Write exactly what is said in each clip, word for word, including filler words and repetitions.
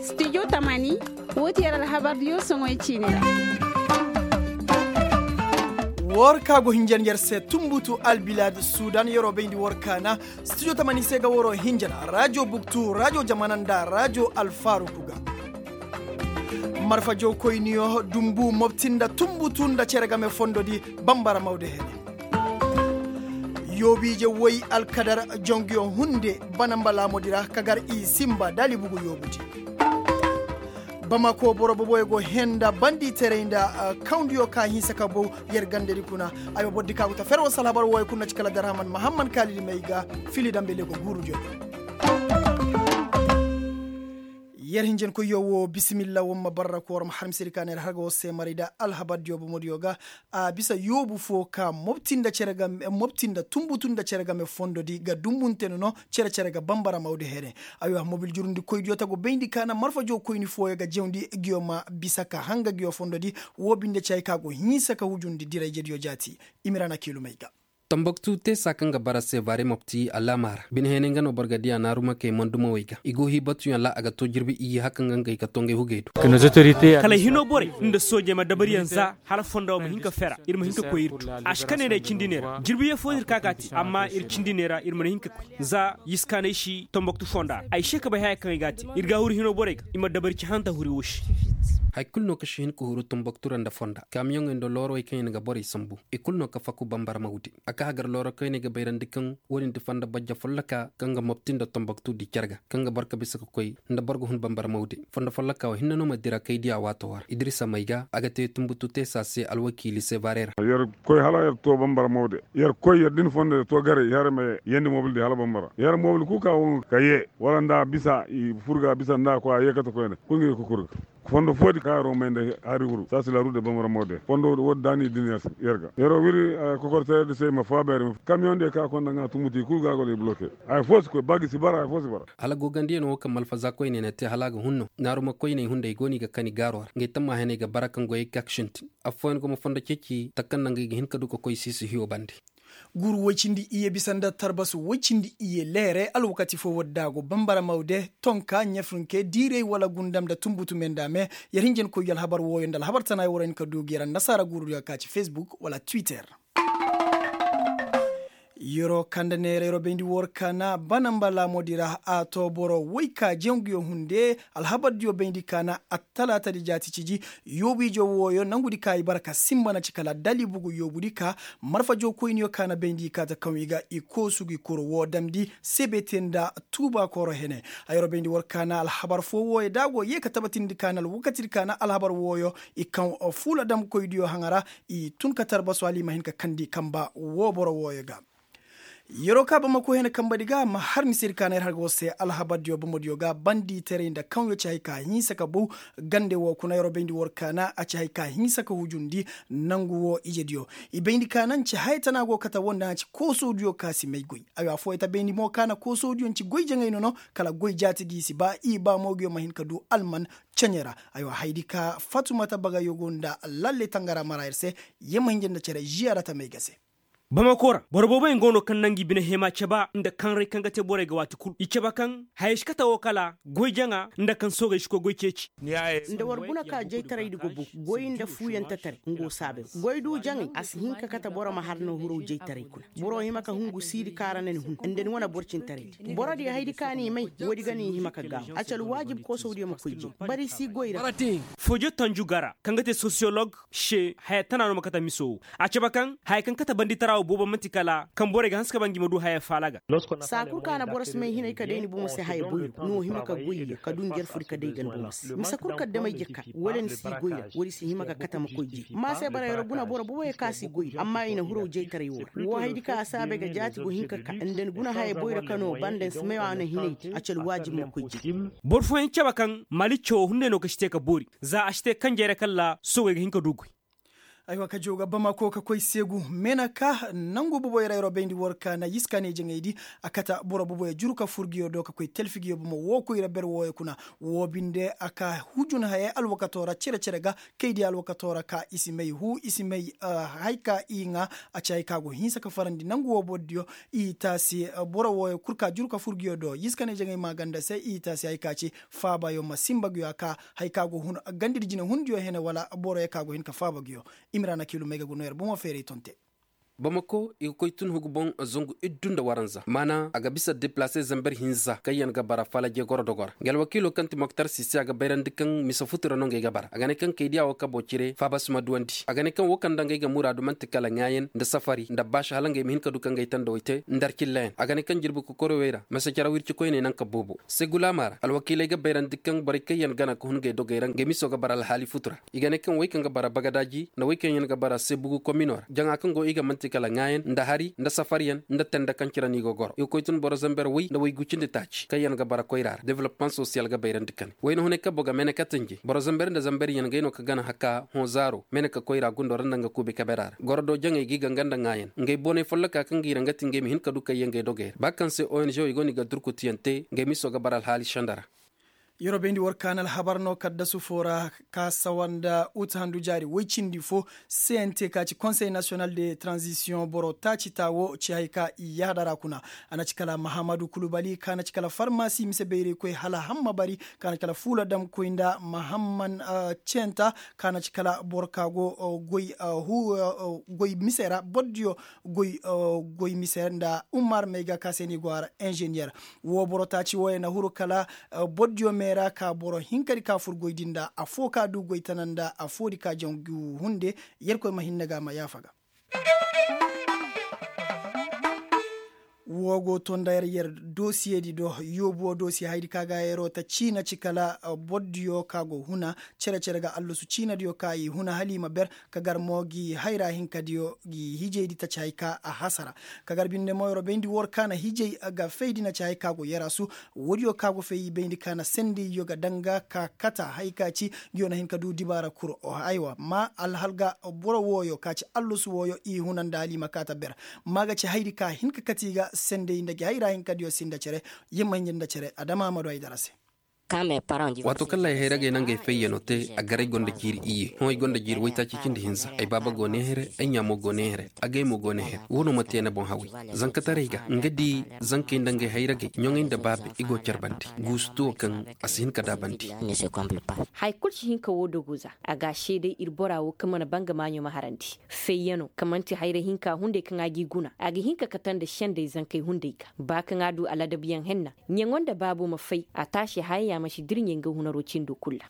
Studio tamani, wo ti yer alhabar diyo soŋoy ciini ra. War ka go hinjan yer se tumbutu albilad sudan yeroo bayndi war kaana. Studio tamani se ga waroo hinjan rajo buktu rajo jamana nda rajo alfaruku ga. Marfa jow koyniyo dumbu mobti nda tumbutu nda cere game fondo di. Bambara mawde hene. Yoobiije woy alkadar jongiyo hunde bana mba laamodi ra ka gar i simba daali bugu yoobudi. Bamako boro boboyo go henda banditeray nda kawndiyo ka hinsa ka bow. Yer gandedi kuna. Ay ma bordi ka go ta fer wasa alhabar woyo kuna ci kala darhaman mahamman kaalidi may ga. Fili dambe lego guurudiyo. Yer hinjankoyyo wo bisimilla wamma barra koor ma har misedi ka na yer har ga war se maray da alhabardiyo bomodiyo ga. A bisa yoobu fo ka mobti nda cere game mobti nda tumbutu nda cere game fondodi ga dumbunte no no. Cere cere ga bambara mawde here. Aywa mobil jurundikoydiyo ta go bayndi ka na marfa jow koyni fooyo ga jawndi. Ngiyo ma bisa ka hanga ngiyo fondodi. Woo binde ci hay ka go hinsa ka hujundi dirayjediyo jaati. Imira na kiilumey ga. Tambaktu teesa kaŋ ga bara sevare mopti alaama ra bine heenay nga no boro ga diya naarumakey mandumawey ga i go hii batuyaŋ ra a ga to jirbi iyye haka nga ngey ga to ngey hugey do. Kala hino borey nda soojey ma dabariyaŋ za hala fonda wo ma hin ka fera ir ma hin ka koy ir tu. A si ka ne ne cindi ne ra jirbi yee fo no ir ka ga a te amma ir cindi ne ra ir mana hin ka koy za yiskaanay si tambaktu fonda ra ay se ka bay haya kaŋ ay ga a te. Ir ga a huru hino borey ga i ma dabari ci hanta huri wo se. Hari kulu no kaŋ si hin ka huru tambaktu ra nda fonda kaamiyoŋey nda loorowey kaŋ i na ga borey sambu i kulu no ka faku bambara mawde. A ka hagar looro kaŋ i na ga bayrandi kaŋ wo-din ti fonda bajja folloka kaŋ ga mopti nda tambaktu di care ga kaŋ ga boro ka bisa ka koy nda boro ga hun bambara mawde. Fonda folloka wo hinne no ma dira kay diya waato war idirisa may ga a ga te tumbutu teesa se alwakiili se baarey ra. Yer koy hala yer to bambara mawde yer koy yer din fonda yer to garay yer ma yee yeendi mobil di hala bambara yer mobil kul ka wo nga ka yee wala nda bisa i fur ga bisa nda a koy a yee kate koyne kul nga yee ka kur ga. Fondo foodi kaŋ a romey nda hari wuru saasi la rude bambara mawde fondo woodi daani din yer ga yeroo wiri. Kokortayerdi se i ma faabeeri ma kamiyoŋ diyo kaŋ a konda ŋaa tumuti kul ga a go da i bloke. Haya fo si koy ba gi si bara haya fo si bara. Hala gogandiyaŋ wo kaŋ malfaza koyney na te hala a ga hun no naaruma koyney hunday go no i ga kani gaaro ra ngey tammahaney ga bara kaŋ goyey ga ka sintin. Affooyaŋ go ma fondo ceeci taka kaŋ naŋ ga i ga hin ka du ka koy siisi hiyo bande. Guuru woy cindi iyye bisa nda tarbasu woy cindi iyye leere alwakati fo woddaago bambara mawde tonka ɲafunke diirey wala gundam nda tumbutu me nda me. Yer hinjankoyyo alhabar wooyo nda alhabar tanaay war hin ka du ga yer annasaara guurudiyo ka ci fesbuk wala twitter. Yeroo kande neera yeroo bayndi war kaana bana mba laamoodi ra a too boro woy ka janguyo hunde. Alhabardiyo bayndi kaana attalaatadi jaati ciji. Yoobu ije wooyo nangudi ka i bara ka sinba na ci kala dali bugu yoobudi ka marfa jookoyniyo ka na bayndi i kaata kaŋ i ga i koosu gi kuru woo damndi sebete nda tuuba koro hene. Hayro bayndi war kaana alhabar foo wooyo da a go yee ka tabatindi kaana alwakatidi kaana alhabar wooyo i kaŋ fuula damkoydiyo haŋa ra. I tun ka tarbasu hala i ma hin ka kandi kamba woo boro wooyo ga. Yeroo ka bamako hene kambadi ga ma har misedi ka na yer har ga war se alhabardiyo bomodiyo ga banditaray nda kaŋyo ci hay ka hinsa ka bow. Gande woo kuna yeroo bayndi war kaana a ci hay ka hinsa ka hujundi. Nangu woo ijediyo i bayndi ka naŋ ci haya tana go kate woo nda a ci koosodiyo ka si may goy. Aywa fooyey ta bayndi mo ka na koosodiyo ci goy jaŋay no no kala goy jaatidi si ba i ba moogiyo ma hin ka du alman. Ceɲe ra aywa haydi ka fatumata bagayo go nda lalle tangara mara yer se. Yer ma hinja nda cere ziyaara tamey ga se. Bamako ra boro booboyaŋ go no kaŋ naŋ gi bine heema caba nda kanray kaŋ ga te borey ga waati kul i caba kaŋ hayey si kate woo kala goy jaŋa nda kaŋ soogey si koy goy ceeci. Nda war guna ka jaytaraydi go bow goy nda fuuyantetaray nga wo saabay goy du jaŋay a si hin ka kate boro ma har no hiraw jaytaray kuna. Boro hima ka hungu siidi kaŋ ra na ni hun nda ni wane borcintaraydi borodiyo haydi kaŋ a n'i may woodi ga no i hima ka gaabu a ci alwaajib koosawdiyo ma koy jay. Bari si goy ra. Fojo tanju gara kaŋ ga te sosiyolog se haya tana no ma kate miso wo. A cabe kaŋ haya kaŋ kate banditara wo boobo man'ti kala kaŋ borey ga hanse ka ba ngi ma du haya faala ga. Saa kul kaŋ a na boro si may hinay ka day ni bomo se haya boyro ni wo hima ka goy ya ka du njarfudi ka day ga ni bomo se mise kul kaddamey jekka wala ni si goy ra woodi si hima ka kate ma koy jay. Amma se barayro guna boro booboyaŋ kaŋ a si goy ra amma i na hiraw jaytaray wo ra wo haydi kaŋ a saabay ga jaati go hin ka ka nda ni guna haya boyro kaŋ no banda ni si may a na hinay di a ci alwaajib ma koy jay. Boro fooyaŋ cabe kaŋ maali cawo hunday no ka si te ka boori za a si te kanjey ra kala soogey ga hin ka du goy. Aywa ka jooga bamako ka koy seegu meenaka nangu boboy ra yeroo bayndi war ka na yiska ne jaŋaydi. A kata boro boboy juru ka fur nguyo do ka koy talfi nguyo bomo woo koy ra ber wooyo kuna. Woo binde a ka hujun hayey alwakatoo ra cere-cere ga kay di alwakatoo ra ka i si may huu i si may. Hay ka i ŋaa a ci hay ka go hinsa ka farandi nangu woo bordiyo. I taasi boro wooyo kul ka juru ka fur nguyo do yiska ne jaŋay maaganda se i taasi hay ka ci faabayo ma sinba nguyo a ka hay ka go hun gandidi jine hundiyo hene wala boroyo ka go hin ka faaba nguyo. Imrana kiilum ay ga go no yer bomo feeray ton te. Bamako i ga koy tun hugu boŋ zangu iddu nda waranza maana a ga bisa deplase zamber hinza kaŋyaŋ ga bara falaje goro dogo ra nga alwakiilo kaŋ ti moktar sisi a ga bayrandi kaŋ mise futu ra no ngey ga bara a ga ne kaŋ kay diya wo kabo cire faaba si ma duwandi a ga ne kaŋ wo kaŋ nda ngey ga muraadu man'ti kala ŋaayan nda safari nda baasi hala ngey ma hin ka du kaŋ gay tandawey te nda arcillayaŋ a ga ne kaŋ jirbi kokorowey ra mase caraw irci koyney naŋ ka boobo segulaama ra alwakiiley ga bayrandi kaŋ borey kaŋyaŋ gana ka hun ngey dogey ra ngey miso ga bara alhaali futu ra. I ga ne kaŋ wey kaŋ ga bara bagadaaji nda wey kaŋ yaŋ ga bara sebugu komino ra jaŋa kaŋ go i ga man'ti kala ŋaayan nda hari nda safaryaŋ nda tende kaŋ cire no i ga goro i ga koy tun boro zamber wey nda wey gucindi taaci kaŋ yaŋ ga bara koyra ra developmaŋ sosiyal ga bayrandi kane wayna hunay kabo ga meenekatanji boro zamber nda zamberyaŋ ngey no ka gana haka hõ zaaro meeneka koyra gundo ra nda nga kuubi kabera ra goro do jaŋey ga i ganga nda ŋaayan ngey boonay folloka kaŋ ga i ra nga ti ngey ma hin ka du kayyaŋ ngey dogey ra ba kaŋ se ong wey go no i ga durkutiyaŋ te ngey miso ga bara alhaali senda ra. Yeroo bayndi war ka na alhabar no kaddasu foo ra ka sawa nda ut handu jaari woy cindi foo. Sente ka ci konsey nasiyonal de tranzisiyoŋ boro taaci taa woo ci hay ka i yaada ra kuna. A na ci kala mahamadu kulubali ka na ci kala farmasi mise bayraykoy hala hamma bari ka na ci kala fuula damkoy nda mahamman centa ka na ci kala boro ka go goy mise ra bordiyo goy mise nda umar mayga ka se ni go a ra inzeniyer. Woo boro taaci wooyo na huru kala bordiyo meera ka boro hinkadi ka fur goydi nda affoo ka du goy tana nda affoodi ka jaŋ gi hunde. Yerkoy ma hinne ga ma yaafa ga. Woo go to nda yer yer dosiyeedi do yoobu woo dosiye haydi ka ga yeroo ta ciina ci kala bordiyo ka go huna cere-cere ga allasu ciinadiyo ka i huna hala i ma ber ka gar mo gi hayra hinkadiyo gi hijaydi taci hay ka a hasara. Ka gar binde mo yeroo bayndi war ka na hijay ga faydi na ci hay ka go yarasu. Woodiyo ka go fay i bayndi ka na sendayyo ga danga ka kata hay ka ci. Nguyo na hin ka du dibaara kuro aywa ma alhal ga boro wooyo ka ci allasu wooyo i huna nda hala i ma kaata ber. Ma ga ci haydi ka hin ka kati i ga senday nda gi hayra hinkadiyo sinda cere. Yamma hinja nda cere adama amadu haydara se. Waato kaŋ ra ay hayragey na ngey fayyano te a garay gonda jiiri iyye hõ ay gonda jiiri waytaaci cindi hinza ay baaba go ne here ay ɲa mo go ne here. Agay mo go ne here wo no ma te ni boŋ haway zankataray ga nga di zankey nda ngey hayragey ɲoŋey nda baabe i go care bande guusu tuwo kaŋ a si hin ka daabandi. Haya kulu si hin ka woo dogo za a ga a seeday ir bora woo kaŋ mana ba nga maaɲo ma harandi. Fayyano kaŋ man'ti hayra hinka hunday kaŋ a g'i guna a ga hin ka kate nda sendey zankey hunday ga ba kaŋ a du aladabuyaŋ henna. Ɲaŋo nda baabo ma fay a taasi haya ya ma si dirɲey nga hunaro cindo kul ra.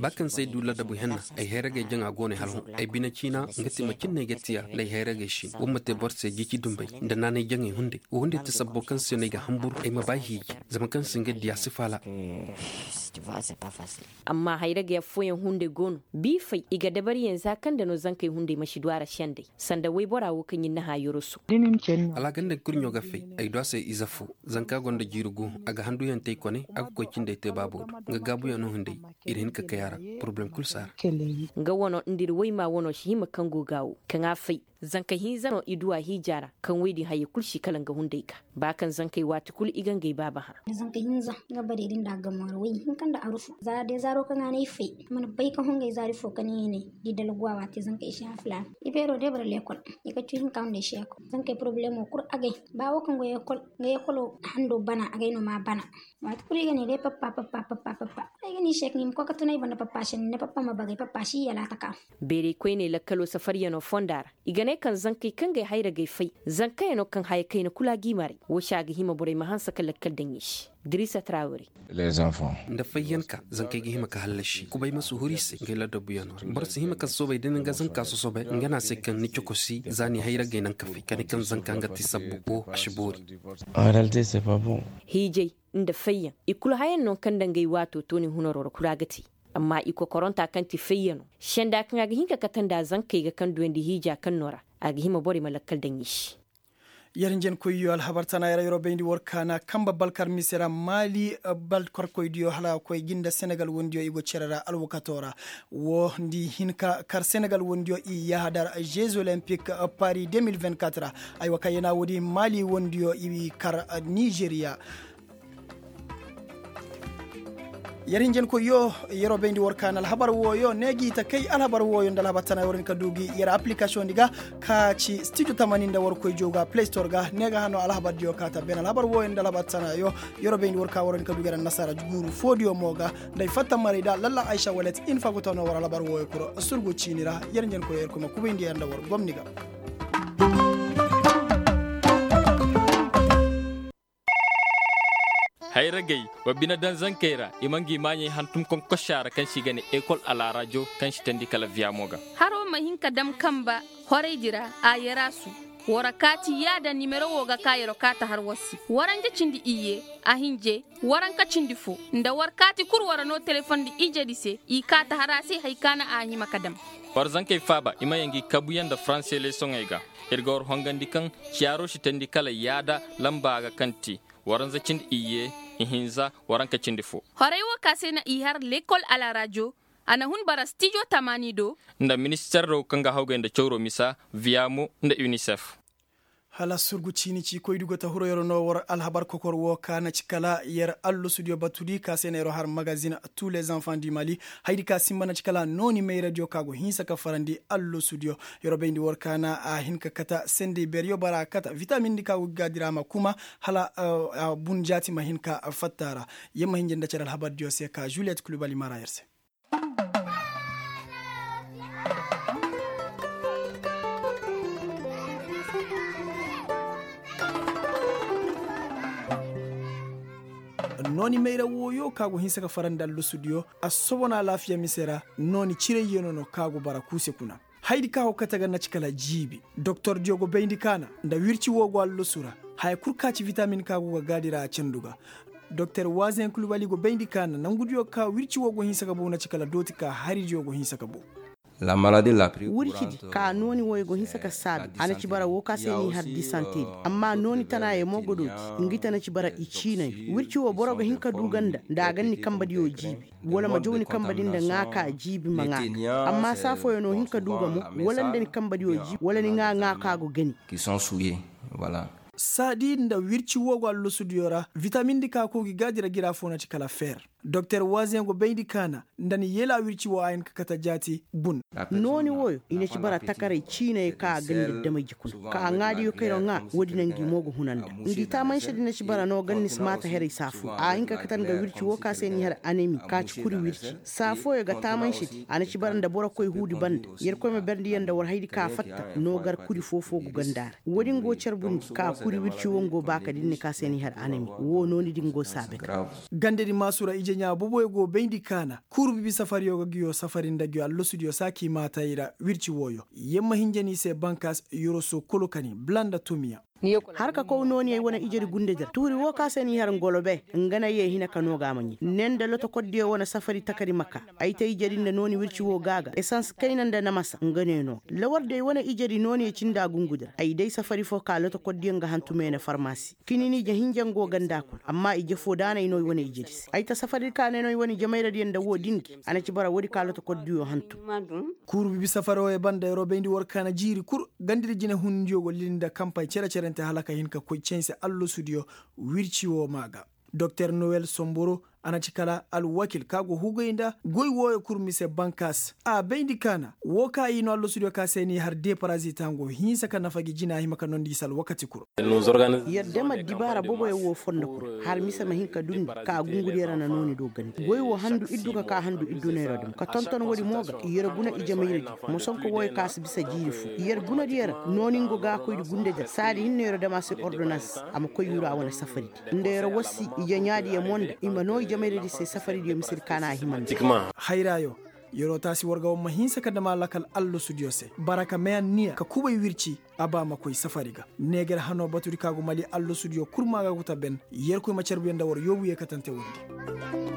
Ba kaŋ se ay du ladabu henna ay hayragey jaŋa go no ay hala hõ ay bine ciina nga ti macin no ay ga tiya nda ay hayragey sin war ma te boro se jici dumbey nda naanay jaŋey hunday wo hunday ti sabbo kaŋ se no ay ga hanbur ay ma ba ay hiiji. Zama kaŋ se nga diya si faala. Amma hayragey affooyaŋ hunday go no b'i fay i ga dabariyaŋ za kaŋ nda no zankey hunday ma si du a ra sendey sanda waybora wo kaŋ ɲin na hã yoroso. Alhaganday kurɲo ga fay ay du a se ize fo. Zanka gonda jiiri gu a ga handuyaŋ te ay kone a ga koy cindey te baabo do nga gaabuyaŋ no hunday. Ir hin ka kay a ra poroblem kul si a ra. Nga wano nda ir wayma wano si hima kaŋ go ga wo kaŋ a fay. Zanka hinza no i du a hiija ra kaŋ woy din hayey kul si kala nga hunday ga ba kaŋ zankey waati kul i ga ngey baaba hã. Zanka hinza nga bare din da a gamo ra woy hinka nda arufu za day zaaro kaŋ a ne ay fay. Mana bay ka hongay zaari fo ka ne i ne di dalgu a waati zankey si hã filaana. I beero day bara leekol i ga cu hinka nda ay si a kul zankey poroblemo kul agay. Ba wo kaŋ go yeekol nga yeekolo hando bana agay no ma bana. Waati kulu i ga ne day pappa pappa pappa pappa. Ay ga ne i se kaŋ i ma koy ka tun ay banda pappa se ni ne pappa ma bagay pappa si i yalaata ka. Beeray koyney lakkalo safaryano fonda ra i ga ne kaŋ zankey kaŋ gay hayra gay fay. Zankayaŋo kaŋ haya kayna kulu a g'i maray. Wo se a ga hima borey ma hanse ka lakkal daŋ i se. Dirisa trawre. Nda fayyanka zankey ga hima ka hallasi kubay ma si huru i se ngey ladabuyano ra boro si hima ka soobay da ni nga zanka sosobay nga no a se kaŋ ni cokosi za ni hayra gay naŋ ka fay ka ne kaŋ zanka nga ti sabbu bo a si boori. Hiijay nda fayyaŋ i kulu hayaŋ no kaŋ nda ngey waato to ni hunaro ra kulu a ga te. Amma i kokoronta kaŋ ti fayyano senda kaŋ a ga hin ka kate nda zankey ga kaŋ duyandi hiija kaŋ no ra a ga hima borey ma lakkal daŋ i se. Yer njenkoyyo alhabar tana yer yeroo bayndi war kaana kamba balkar mise ra maali balkarkoydiyo hala a koy gi nda senegal wondiyo i go cere ra alwakatoo ra. Woo nda i hin ka kar senegal wondiyo i yahadar jeux olympique paris deux mille vingt-quatre ra. Aywa kaŋ yana woodi maali wondiyo i kar nizeriya. Yer hinjankoyyo, yeroo bayndi war kaa na alhabar wooyo ne gi ta kay alhabar wooyo nda alhabar tana war hin ka du gi yer application di ga ka ci studio tamani nda war koy jooga play store ga ne ga hano alhabar diyo ka ta ben alhabar wooyo nda alhabar tana yo. Yeroo bayndi war kaa war hin ka du gi yer annasaara guuru foo diyo mo ga nda ay fatta maray da lalla aysa walet. Hin fa go tano war alhabar wooyo kuro surgu ciini ra. Yer hinjankoyyo yer koy ma kubayndi yer nda war gomni ga. Hayragey wa bine daŋ zankey ra i ma ngi maaɲey hantum konkosa ra kaŋ se i ga ne ekol alaarajo kaŋ si teendi kala viyamo ga. Haro ma hin ka dam kamba horaydi ra a yaraasu. War a kaati yaada nimero wo ga ka yer kaata har war se waranja cindi iyye, a hinje, waranka cindi fo, nda war kaati kul war noo telefoŋ nda ijedi se i kaata har a se hari ka na a hima ka dam. War zankey faaba i ma yaŋ ngi kabuyaŋ nda faranse leesoŋey ga. Ir ga war hongandi kaŋ ciyaaro si teendi kala yaada lamba ga kaŋ ti waranza cindi iyye, ihinza, waranka cindi fo. Horey wo ka se na i har lekol alaarajo. A na hun bara stijo tamaani do. Nda minister do kaŋ ga hawgay nda cawro misa, viyamo, nda unicef. Hala surgu ciini ci koydi go ta huro yer no war alhabar kokor wo ka na ci kala yer allosudiyo batudi ka se na yer har magazin. Tous les enfants du mali. Haydi ka simba na ci kala nooni mayradiyo ka go hinsa ka farandi allosudiyo. Yer bayndi war ka na a hin ka kata sendey beryo bara kata vitamin di ka go ga dira ma kuma hala bun jaati ma hin ka fatta ra. Yer ma hinja nda cere alhabardiyo se ka juliet kulubali mara yer se. Nooni mayra wooyo ka go hinsa ka farandi allusudiyo. Assobon alaafiya mise ra nooni cirayyanoo no ka go bara kuuse kuna. Haydi ka go kate ga naci kala jiibi doktordiyo go bayndi kaana nda wirci woo go allusu ra. Haya kul ka ci vitamin ka go ga gaadi ra a candu ga. Doktor waazen kulubali go bayndi kaana nangudiyo ka wirci woo go hinsa ka bow naci kala dooti ka haridiyo go hinsa ka bow. Wircidi ka nooni wooyo go hinsa ka saabi a na ci bara woo ka se n'i har disantedi. Amma nooni tanaayey mo go dooti. Ngi ta na ci bara i ciinay wirci woo boro ga hin ka du ga nda nda a ga ni kambadiyo jiibi wala ma jaw ni kambadi nda ŋaa ka jiibi ma ŋaa ga. Amma saa fooyaŋ no hin ka du ga mo wala nda ni kambadiyo jiibi wala ni ŋaa ŋaa ka go gani. Saadi nda wirci woo go allosudiyo ra vitamindi ka koo gi gaadi ra gira foo na ci kala feer. Doktor waazeŋ go bayndi kaana nda ni yela wirci woo a hin ka kate jaati bun. Nooni wooyo i na ci bara takaray ciinay ka a ganda dama ji kuna ka a ŋaadiyo kayro ŋaa woodi na ngi mo ga huna nda ngi taamansedi na ci bara no ganda ni si maata heray saa fooyo a hin ka kate nga wirci woo ka se ni har anemi ka ci kuri wirci saa fooyo ga taamansedi a na ci bara nda boro koy huudi banda. Yerkoy ma berndi yer nda war haydi ka fatta no gar kuri foo-foo go ganda ra. Woodin go carbundi ka kuri wirci woo ngo baaka din ni ka se ni har anemi woo nooni din go saabe ga. Gandedi maasura ije ɲaa boboyo go bayndi kaana kuuru bibi safariyo ga ngiyo safari nda ngiyo allosudiyo saaki maatay ra wirci wooyo. Yer ma hinja ni se bankaas yoroso kolo kani bula nda tomiya. Har ka kow nooniyey wane ijedi gundedi ra tuuri woo ka se n'i har ngolobe nga na yee hina ka noo ga a ma ɲi ne nda lotokordiyo wane safari takari ma ka. Ay te ijedi nda nooni wirci woo ga a ga esans kayna nda namasa nga ne noo ga lawardey wane ijedi nooniyo cindi a gungudi ra ay day safari foo ka lotokordiyo nga hantumey na farmasi. Kinini ije hinja nga go ganda kuna amma ije foo daanay no i wane ijedi se ay ta safari ka ne no i wane ije mayradiyo nda woo din gi a na ci bara woodi ka lotokordiyo hantum. Kuuru bibi safaro ye banda yeroo bayndi war kaana jiiri kul gandadi jinehundiyo go lili nda kampay cere-cerente hala ka hin ka koy canse allosudiyo. Wirci woo maa ga doktor nowel somboro a na ci kala alwakil ka go hugay nda goy wooyo kul mise bankaas a bayndi kaana woo ka i no allosudiyo ka se n'i har deparazita ngo hinsa ka nafa gi jina a hima ka nondi i se alwakati kul. Yer dema dibaara boboyaŋ woo fondo kuna har mise ma hin ka dundi ka gungudi yer na nooni do gandi goy woo handu iddu ka ka handu iddu neero dam ka tonton woodi mo ga yer guna ije mayradi. Mosonko wooyo ka si bisa jiiri fo yer gunadiyo ra nooni ngo ga koydi gundedi ra saadi hinne yer dam a se ordonans a ma koy yuru a wane safaridi nda yer wassi ije ɲaadiyo mo nda i ma noo ije mayradi se safaridiyo misedi ka na a hima nda. Hayraayo yeroo taasi war ga war ma hinsa ka dam a lakal allosudiyo se bara ka meyanniya ka kubay wirci. A ba ma koy safari ga neeger hanoo batudi ka go mali allosudiyo kul maa ga go ta ben. Yerkoy ma carbuyaŋ nda war yoobu yeekatante woodi.